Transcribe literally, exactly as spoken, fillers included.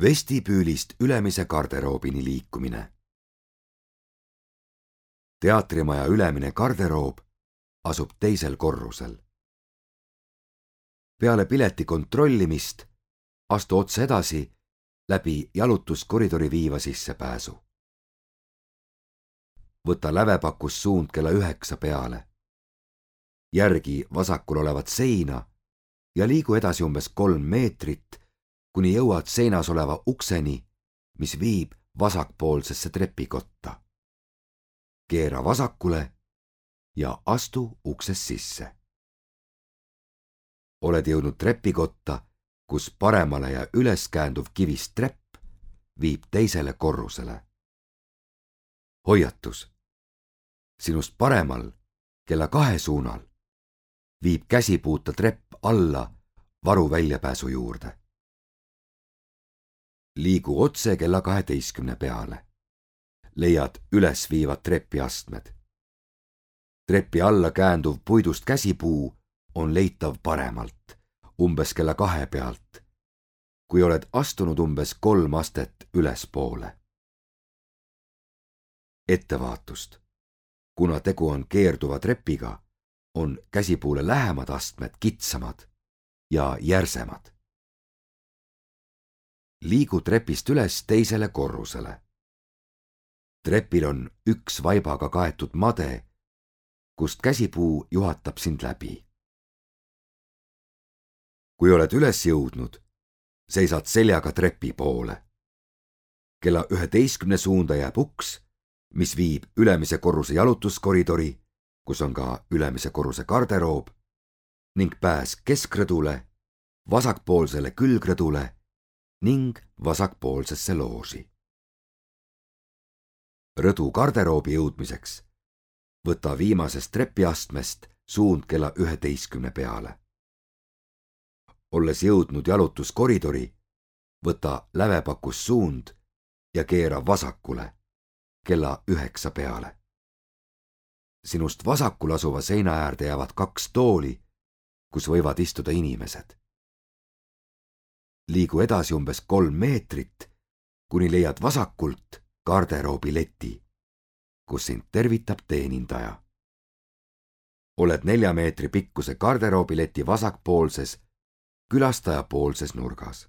Vestibüülist ülemise garderoobini liikumine. Teatrimaja ülemine garderoob asub teisel korrusel. Peale pileti kontrollimist astu otse edasi läbi jalutuskoridori viiva sissepääsu. Võta lävepakus suund kella üheksa peale. Järgi vasakul olevat seina ja liigu edasi umbes kolm meetrit, kuni jõuad seinas oleva ukseni, mis viib vasakpoolsesse trepikotta. Keera vasakule ja astu uksest sisse. Oled jõudnud trepikotta, kus paremale ja üles käänduv kivist trepp viib teisele korrusele. Hoiatus. Sinust paremal, kella kahe suunal, viib käsipuuta trepp alla varu väljapääsu juurde. Liigu otse kella kaheteistkümne peale. Leiad üles viivad trepiastmed. Trepi alla käänduv puidust käsipuu on leitav paremalt, umbes kella kahe pealt, kui oled astunud umbes kolm astet ülespoole. Ettevaatust. Kuna tegu on keerduva trepiga, on käsipuule lähemad astmed kitsamad ja järsemad. Liigu trepist üles teisele korrusele. Trepil on üks vaibaga kaetud made, kust käsipuu juhatab sind läbi. Kui oled üles jõudnud, seisad seljaga trepi poole. Kella üheteistkümne suunda jääb uks, mis viib ülemise korruse jalutuskoridori, kus on ka ülemise korruse garderoob, ning pääs keskrõdule, vasakpoolsele külgrõdule ning vasakpoolsesse looži. Rõdu garderoobi jõudmiseks võta viimasest trepiastmest suund kella üheteistkümne peale. Olles jõudnud jalutuskoridori, võta lävepakus suund ja keera vasakule kella üheksa peale. Sinust vasakul asuva seina äärde jäävad kaks tooli, kus võivad istuda inimesed. Liigu edasi umbes kolm meetrit, kuni leiad vasakult garderoobi leti, kus sind tervitab teenindaja. Oled nelja meetri pikkuse garderoobi leti vasakpoolses, külastajapoolses nurgas.